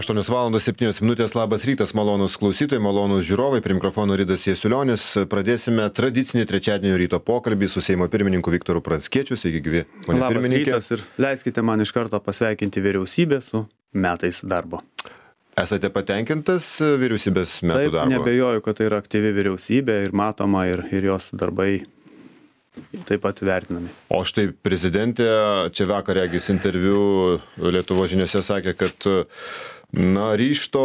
8:07. Labas rytas, malonūs klausytojai, malonūs žiūrovai, prie mikrofono Ridas Jasiulionis. Pradėsime tradicinį trečiadienio ryto pokalbį su Seimo pirmininku Viktoru Pranckiečiu. Sveiki, gyvi, pone pirmininkė. Labas rytas ir leiskite man iš karto pasveikinti vyriausybę su metais darbo. Esate patenkintas vyriausybės metų darbo? Taip, nebejoju, kad tai yra aktyvi vyriausybė ir matoma ir jos darbai taip pat vertinami. O štai prezidentė čia vakar regis interviu Lietuvos žiniose sakė, kad ryžto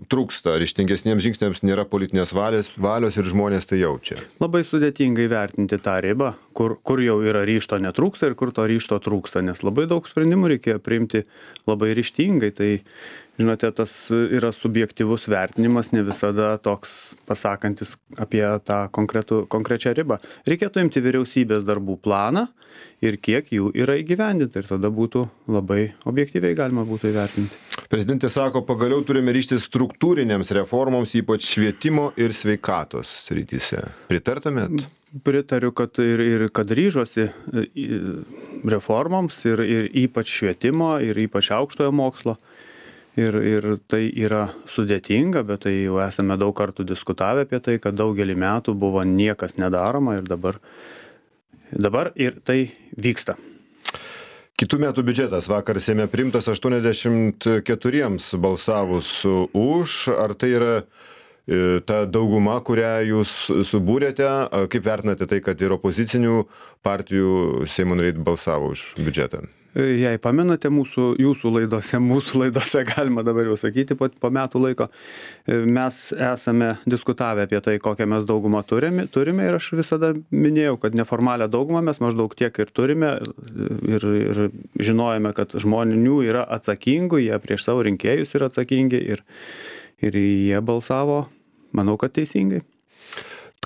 trūksta, ryžtingesniems žingsniams nėra politinės valios ir žmonės tai jaučia. Labai sudėtingai vertinti tą ribą, kur jau yra ryžto netrūksta ir kur to ryžto trūksta, nes labai daug sprendimų reikėjo priimti labai ryžtingai. Tai, žinote, tas yra subjektyvus vertinimas, ne visada toks pasakantis apie tą konkrečią ribą. Reikėtų imti vyriausybės darbų planą ir kiek jų yra įgyvendinta ir tada būtų labai objektyviai galima būtų įvertinti. Prezidentė sako, pagaliau turime ryžtis struktūrinėms reformoms, ypač švietimo ir sveikatos srityse. Pritartumėt? Pritariu, kad kad ryžosi reformoms ir ypač švietimo ir ypač aukštojo mokslo. Ir tai yra sudėtinga, bet tai jau esame daug kartų diskutavę apie tai, kad daugelį metų buvo niekas nedaroma ir dabar ir tai vyksta. Kitų metų biudžetas vakar Seime priimtas 84 balsavus už. Ar tai yra ta dauguma, kurią jūs subūrėte? Kaip vertinate tai, kad ir opozicinių partijų Seimo nariai balsavo už biudžetą? Jei pamenate jūsų laidose galima dabar jau sakyti po metų laiko, mes esame diskutavę apie tai, kokią mes daugumą turime ir aš visada minėjau, kad neformalią daugumą mes maždaug tiek ir turime ir žinojame, kad žmonių yra atsakingų, jie prieš savo rinkėjus yra atsakingi ir jie balsavo, manau, kad teisingai.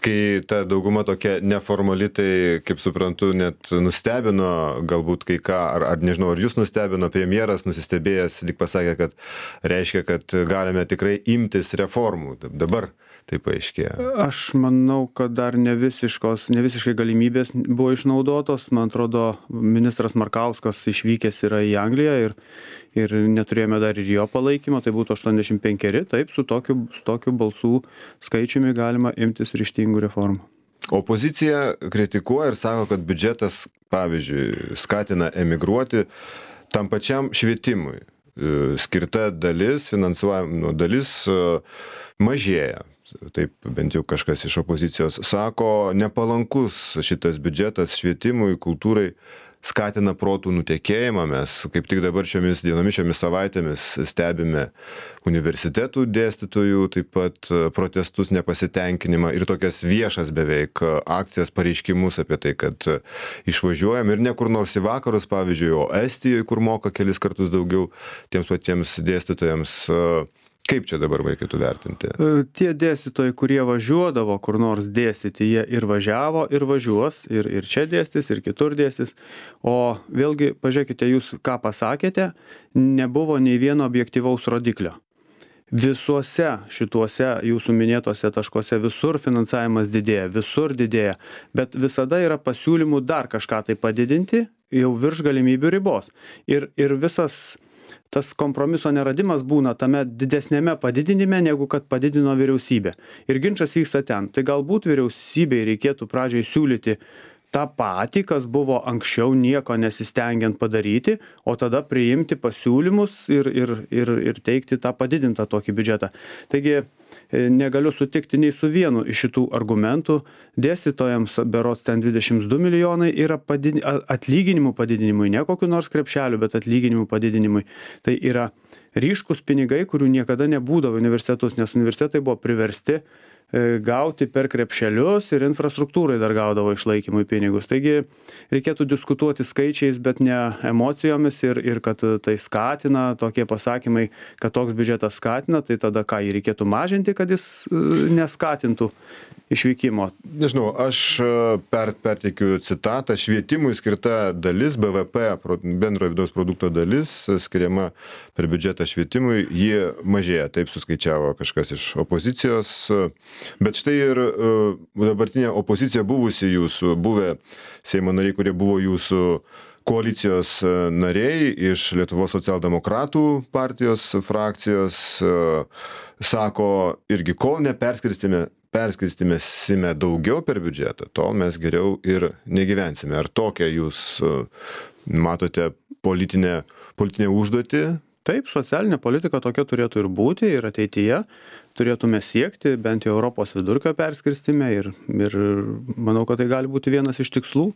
Kai ta dauguma tokia neformali, tai, kaip suprantu, net nustebino galbūt kai ką, ar nežinau, ar jūs nustebino, premjeras nusistebėjęs, lyg pasakė, kad reiškia, kad galime tikrai imtis reformų. Dabar tai paaiškėjo. Aš manau, kad dar ne visiškai galimybės buvo išnaudotos. Man atrodo, ministras Markauskas išvykęs yra į Angliją ir neturėjome dar ir jo palaikymo, tai būtų 85, taip, su tokiu balsų skaičiumi galima imtis ryžtingų reformų. Opozicija kritikuoja ir sako, kad biudžetas, pavyzdžiui, skatina emigruoti tam pačiam švietimui. Skirta dalis, finansuojama dalis mažėja. Taip bent jau kažkas iš opozicijos sako, nepalankus šitas biudžetas švietimui, kultūrai, skatina protų nutekėjimą. Mes kaip tik dabar šiomis dienomis, šiomis savaitėmis stebime universitetų dėstytojų, taip pat protestus, nepasitenkinimą ir tokias viešas beveik akcijas, pareiškimus apie tai, kad išvažiuojam ir ne kur nors į vakarus, pavyzdžiui, o Estijoje, kur moka kelis kartus daugiau tiems patiems dėstytojams. Kaip čia dabar reikėtų vertinti? Tie dėstytojai, kurie važiuodavo kur nors dėstyti, jie ir važiavo, ir važiuos, ir čia dėstys, ir kitur dėstys. O vėlgi, pažiūrėkite, jūs ką pasakėte, nebuvo nei vieno objektyvaus rodiklio. Visuose šituose jūsų minėtose taškuose visur finansavimas didėja, bet visada yra pasiūlymų dar kažką tai padidinti, jau virš galimybių ribos. Ir visas tas kompromiso neradimas būna tame didesnėme padidinime, negu kad padidino vyriausybė. Ir ginčas vyksta ten. Tai galbūt vyriausybei reikėtų pradžiai siūlyti tą patį, kas buvo anksčiau nieko nesistengiant padaryti, o tada priimti pasiūlymus ir teikti tą padidintą tokį biudžetą. Taigi negaliu sutikti nei su vienu iš šitų argumentų. Dėstytojams berods ten 22 milijonai yra atlyginimų padidinimui, ne kokiu nors krepšeliu, bet atlyginimų padidinimui. Tai yra ryškus pinigai, kurių niekada nebūdavo universitetus, nes universitetai buvo priversti gauti per krepšelius ir infrastruktūrai dar gaudavo išlaikymui pinigus. Taigi reikėtų diskutuoti skaičiais, bet ne emocijomis ir kad tai skatina, tokie pasakymai, kad toks biudžetas skatina, tai tada ką jį reikėtų mažinti, kad jis neskatintų išvykimo. Nežinau, aš perteikiu citatą, švietimui skirta dalis, BVP, bendrojo vidaus produkto dalis, skiriama per biudžetą švietimui, ji mažėja, taip suskaičiavo kažkas iš opozicijos. Bet štai ir dabartinė opozicija buvę Seimo nariai, kurie buvo jūsų koalicijos nariai iš Lietuvos socialdemokratų partijos frakcijos sako irgi, kol perskirstymėsime daugiau per biudžetą, tol mes geriau ir negyvensime. Ar tokią jūs matote politinę užduotį? Taip, socialinė politika tokia turėtų ir būti ir ateityje turėtume siekti bent jau Europos vidurkio perskirstime ir manau, kad tai gali būti vienas iš tikslų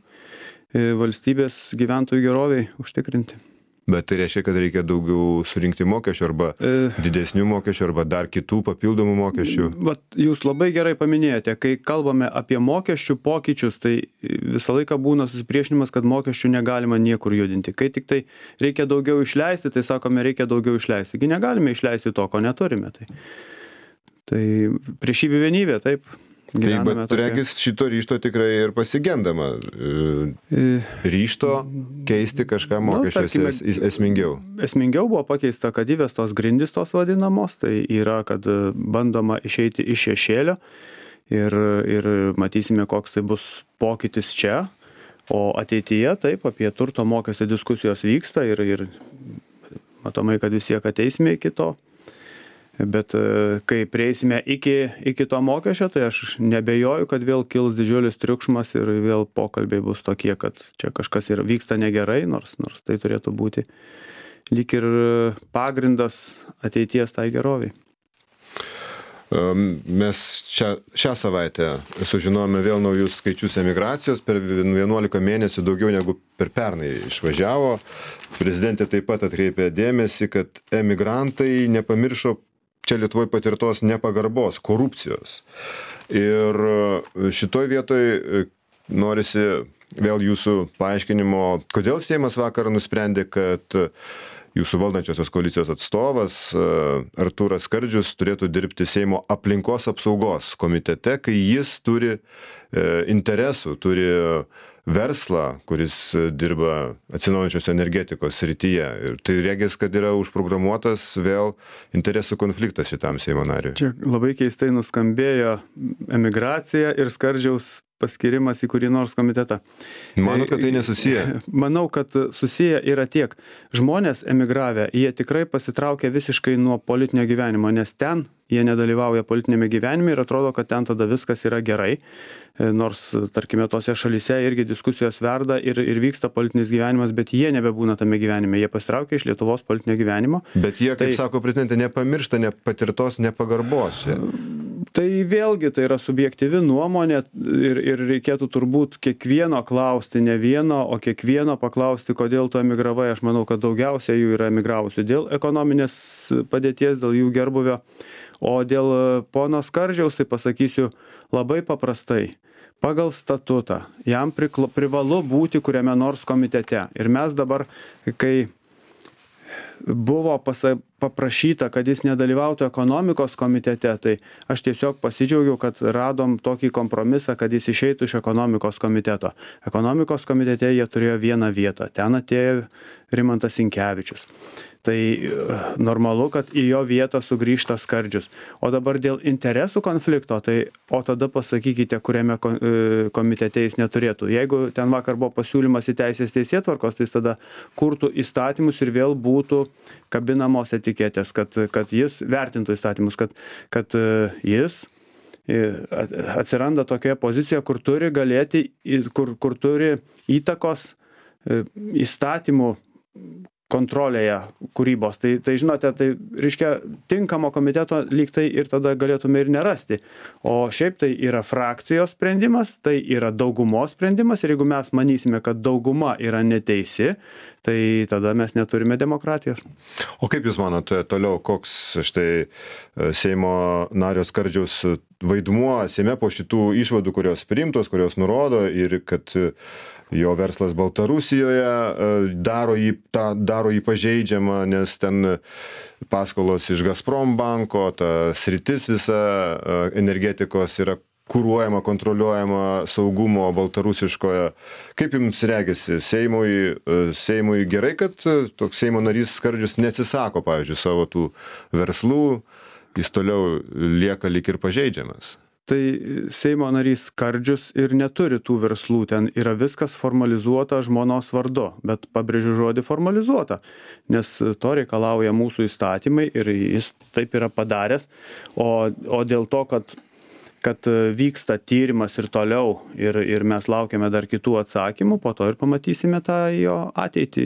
valstybės gyventojų geroviai užtikrinti. Bet tai reiškia, kad reikia daugiau surinkti mokesčių arba didesnių mokesčių arba dar kitų papildomų mokesčių. Vat jūs labai gerai paminėjote, kai kalbame apie mokesčių pokyčius, tai visą laiką būna susipriešinimas, kad mokesčių negalima niekur judinti. Kai tik tai reikia daugiau išleisti, tai sakome, reikia daugiau išleisti. Taigi negalime išleisti to, ko neturime. Tai priešybė vienybė, taip. Taip, bet regis šito ryžto tikrai ir pasigendama. Ryžto keisti kažką mokesčiuose esmingiau. Esmingiau buvo pakeista, kad įvestos grindys tos vadinamos, tai yra, kad bandoma išeiti iš šešėlio ir matysime, koks tai bus pokytis čia. O ateityje, taip, apie turto mokestį diskusijos vyksta ir matomai, kad vis tiek ateisime iki to. Bet kai prieisime iki to mokesčio, tai aš nebejoju, kad vėl kils didžiulis triukšmas ir vėl pokalbiai bus tokie, kad čia kažkas ir vyksta negerai, nors tai turėtų būti lyg ir pagrindas ateities tai geroviai. Mes šią savaitę sužinojome vėl naujus skaičius emigracijos, per 11 mėnesių daugiau negu per pernai išvažiavo. Prezidentė taip pat atkreipė dėmesį, kad emigrantai nepamiršo čia Lietuvoje patirtos nepagarbos, korupcijos. Ir šitoj vietoj norisi vėl jūsų paaiškinimo, kodėl Seimas vakar nusprendė, kad jūsų valdančiosios koalicijos atstovas Artūras Skardžius turėtų dirbti Seimo aplinkos apsaugos komitete, kai jis turi interesų, turi verslą, kuris dirba atsinaujinančios energetikos srityje. Ir tai regis, kad yra užprogramuotas vėl interesų konfliktas šitam Seimo nariui. Čia labai keistai nuskambėjo emigracija ir Skardžiaus paskirimas į kurį nors komitetą. Manau, kad tai nesusiję. Manau, kad susiję yra tiek. Žmonės emigravę, jie tikrai pasitraukia visiškai nuo politinio gyvenimo, nes ten jie nedalyvauja politinėme gyvenime ir atrodo, kad ten tada viskas yra gerai. Nors, tarkime, tose šalyse irgi diskusijos verda ir vyksta politinis gyvenimas, bet jie nebebūna tame gyvenime. Jie pasitraukia iš Lietuvos politinio gyvenimo. Bet jie, kaip sako prezidentė, nepamiršta patirtos nepagarbos čia. Tai vėlgi tai yra subjektyvi nuomonė ir reikėtų turbūt kiekvieno klausti, ne vieno, o kiekvieno paklausti, kodėl tu emigravai. Aš manau, kad daugiausia jų yra emigravusių dėl ekonominės padėties, dėl jų gerbuvio. O dėl pono Skardžiaus, tai pasakysiu labai paprastai. Pagal statutą jam privalu būti kuriame nors komitete. Ir mes dabar, kai buvo paprašyta, kad jis nedalyvautų ekonomikos komitete, tai aš tiesiog pasidžiaugiau, kad radom tokį kompromisą, kad jis išeitų iš ekonomikos komiteto. Ekonomikos komitete jie turėjo vieną vietą. Ten atėjo Rimantas Sinkevičius. Tai normalu, kad į jo vietą sugrįžta Skardžius. O dabar dėl interesų konflikto, tai o tada pasakykite, kuriame komitete jis neturėtų. Jeigu ten vakar buvo pasiūlymas į teisės teisėtvarkos, tai jis tada kurtų įstatymus ir vėl būtų kabinamos etiketės, kad jis vertintų įstatymus, kad jis atsiranda tokioje pozicijoje, kur turi galėti, kur turi įtakos įstatymų kontrolėje kūrybos. Tai žinote, tai reiškia tinkamo komiteto lyg tai ir tada galėtume ir nerasti. O šiaip tai yra frakcijos sprendimas, tai yra daugumos sprendimas ir jeigu mes manysime, kad dauguma yra neteisi, tai tada mes neturime demokratijos. O kaip Jūs manote toliau, koks štai Seimo nario Skardžiaus vaidmuo Seime po šitų išvadų, kurios priimtos, kurios nurodo ir kad jo verslas Baltarusijoje daro jį pažeidžiamą, nes ten paskolos iš Gazprom banko, ta sritis visa energetikos yra kuruojama, kontroliuojama saugumo baltarusiškoje. Kaip Jums regisi, Seimui gerai, kad toks Seimo narys Skardžius neatsisako, pavyzdžiui, savo tų verslų, jis toliau lieka lyg ir pažeidžiamas? Tai Seimo narys Skardžius ir neturi tų verslų, ten yra viskas formalizuota žmonos vardu, bet pabrėžiu žodį formalizuota, nes to reikalauja mūsų įstatymai ir jis taip yra padaręs, o dėl to, kad vyksta tyrimas ir toliau ir mes laukiame dar kitų atsakymų, po to ir pamatysime tą jo ateitį.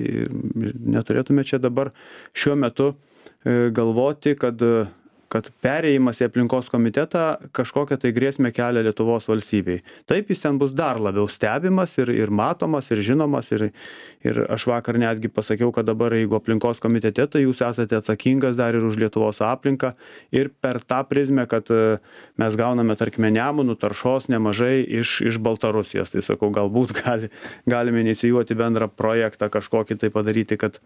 Ir neturėtume čia dabar šiuo metu galvoti, kad perėjimas į aplinkos komitetą kažkokią tai grėsmę kelia Lietuvos valstybei. Taip, jis ten bus dar labiau stebimas ir matomas ir žinomas ir aš vakar netgi pasakiau, kad dabar jeigu aplinkos komitete, tai jūs esate atsakingas dar ir už Lietuvos aplinką ir per tą prizmę, kad mes gauname, tarkime, Nemunų taršos nemažai iš Baltarusijos. Tai sakau, galbūt galime inicijuoti bendrą projektą kažkokį tai padaryti, kad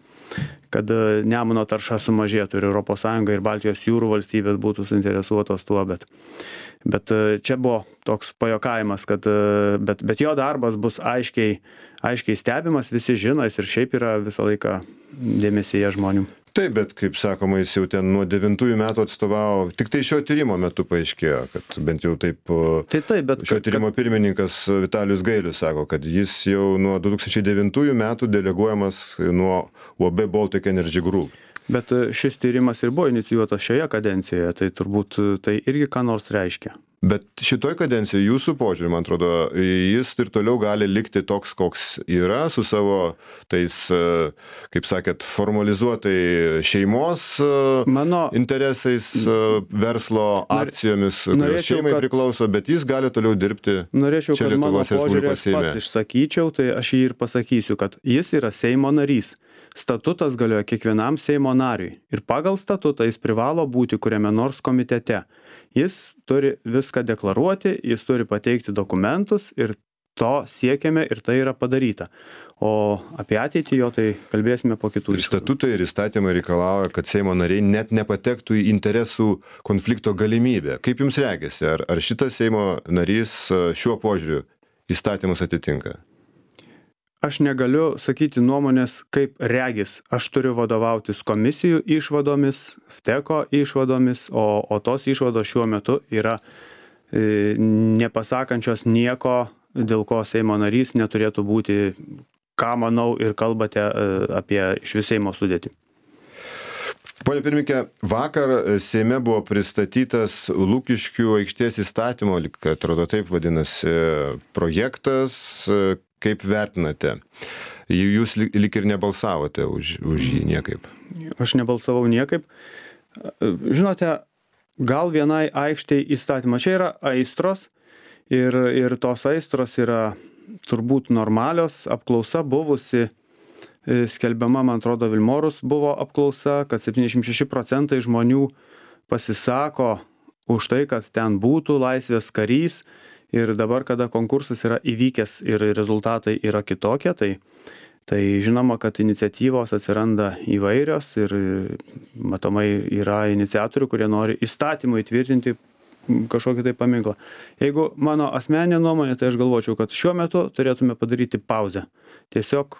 Nemuno tarša sumažėtų ir ES ir Baltijos jūrų valstybės būtų suinteresuotos tuo, bet čia buvo toks pajokavimas, bet jo darbas bus aiškiai stebimas, visi žino, jis ir šiaip yra visą laiką dėmesyje žmonių. Taip, bet kaip sakoma, jis jau ten nuo 9 metų atstovavo, tik tai šio tyrimo metu paaiškėjo, kad bent jau taip, bet šio tyrimo pirmininkas Vitalijus Gailius sako, kad jis jau nuo 2009 metų deleguojamas nuo UAB Baltic Energy Group. Bet šis tyrimas ir buvo inicijuotas šioje kadencijoje, tai turbūt tai irgi ką nors reiškia. Bet šitoj kadencijoje jūsų požiūrį, man atrodo, jis ir toliau gali likti toks, koks yra, su savo tais, kaip sakėt, formalizuotai šeimos interesais, verslo akcijomis, kurios šeimai priklauso, bet jis gali toliau dirbti čia Lietuvos Respublikos Seime. Pats išsakyčiau, tai aš jį ir pasakysiu, kad jis yra Seimo narys. Statutas galioja kiekvienam Seimo nariui ir pagal statutą jis privalo būti kuriame nors komitete. Jis turi viską deklaruoti, jis turi pateikti dokumentus ir to siekiame ir tai yra padaryta. O apie ateitį jo tai kalbėsime po kitų. Ir statutai ir įstatymai reikalauja, kad Seimo nariai net nepatektų į interesų konflikto galimybę. Kaip jums regisi, ar šitas Seimo narys šiuo požiūriu įstatymus atitinka? Aš negaliu sakyti nuomonės, kaip regis. Aš turiu vadovautis komisijų išvadomis, FTECO išvadomis, o tos išvados šiuo metu yra nepasakančios nieko, dėl ko Seimo narys neturėtų būti, ką manau ir kalbate apie iš Seimo sudėtį. Pone pirmininke, vakar Seime buvo pristatytas Lukiškių aikštės įstatymo, atrodo taip vadinasi, projektas. Kaip vertinate? Jūs lyg ir nebalsavote už jį niekaip. Aš nebalsavau niekaip. Žinote, gal vienai aikštei įstatymą. Čia yra aistros ir tos aistros yra turbūt normalios. Apklausa buvusi, skelbiama, man atrodo, Vilmorus buvo apklausa, kad 76% žmonių pasisako už tai, kad ten būtų laisvės karys. Ir dabar, kada konkursas yra įvykęs ir rezultatai yra kitokie, tai žinoma, kad iniciatyvos atsiranda įvairios ir matomai yra iniciatorių, kurie nori įstatymų įtvirtinti kažkokį tai paminklą. Jeigu mano asmeninė nuomonė, tai aš galvočiau, kad šiuo metu turėtume padaryti pauzę. Tiesiog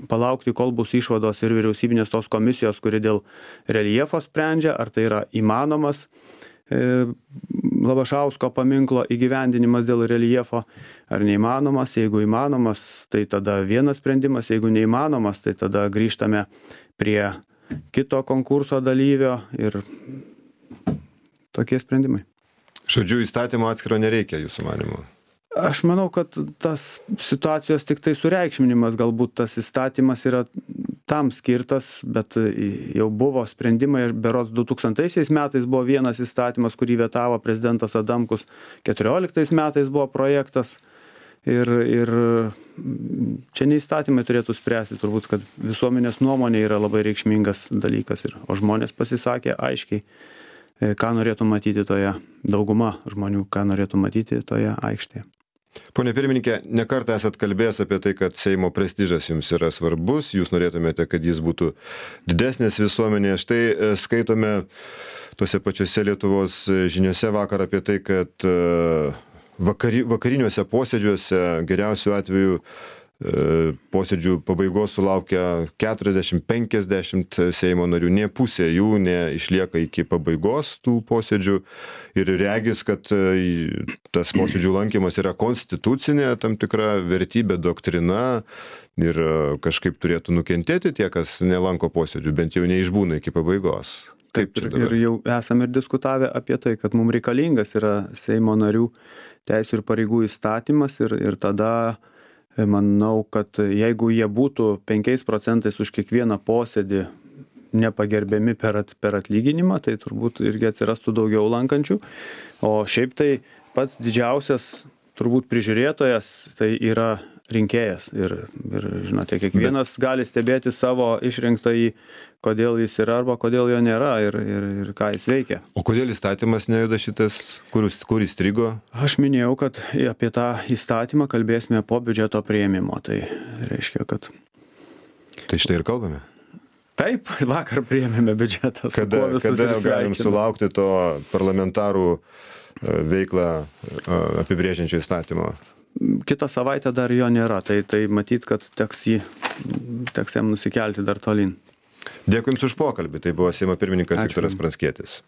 palaukti, kol bus išvados ir vyriausybinės tos komisijos, kuri dėl reljefo sprendžia, ar tai yra įmanomas Labašausko paminklo įgyvendinimas dėl reljefo, ar neįmanomas. Jeigu įmanomas, tai tada vienas sprendimas, jeigu neįmanomas, tai tada grįžtame prie kito konkurso dalyvio ir tokie sprendimai. Žodžiu, įstatymo atskiro nereikia, jūsų manymu? Aš manau, kad tas situacijos tik tai sureikšminimas, galbūt tas įstatymas yra tam skirtas, bet jau buvo sprendimai, berods 2000 metais buvo vienas įstatymas, kurį vetavo prezidentas Adamkus, 2014 metais buvo projektas ir čia ne įstatymai turėtų spręsti, turbūt, kad visuomenės nuomonė yra labai reikšmingas dalykas, o žmonės pasisakė aiškiai, ką norėtų matyti toje, dauguma žmonių, ką norėtų matyti toje aikštėje. Pone pirmininkė, nekartą esat kalbėjęs apie tai, kad Seimo prestižas jums yra svarbus, jūs norėtumėte, kad jis būtų didesnis visuomenėje. Štai skaitome tuose pačiuose Lietuvos žiniuose vakar apie tai, kad vakariniuose posėdžiuose geriausiu atveju posėdžių pabaigos sulaukia 40-50 Seimo narių, ne pusė jų neišlieka iki pabaigos tų posėdžių ir regis, kad tas posėdžių lankymas yra konstitucinė tam tikra vertybė, doktrina ir kažkaip turėtų nukentėti tie, kas nelanko posėdžių, bent jau neišbūna iki pabaigos. Taip, ir jau esame ir diskutavę apie tai, kad mums reikalingas yra Seimo narių teisių ir pareigų įstatymas ir tada manau, kad jeigu jie būtų 5% už kiekvieną posėdį nepagerbiami per atlyginimą, tai turbūt irgi atsirastų daugiau lankančių. O šiaip tai pats didžiausias turbūt prižiūrėtojas tai yra rinkėjas. Ir žinote, kiekvienas gali stebėti savo išrinktąjį, kodėl jis yra arba kodėl jo nėra ir ką jis veikia. O kodėl įstatymas nejuda šitas, kur įstrigo? Aš minėjau, kad apie tą įstatymą kalbėsime po biudžeto priėmimo. Tai reiškia, kad... Tai štai ir kalbame. Taip, vakar priėmėme biudžetą. Kada galim sulaukti to parlamentarų veiklą apibrėžiančio įstatymo? Kitą savaitę dar jo nėra, tai matyt, kad teks jam nusikelti dar tolyn. Dėkui Jums už pokalbį. Tai buvo Seimo pirmininkas Viktoras Pranckietis.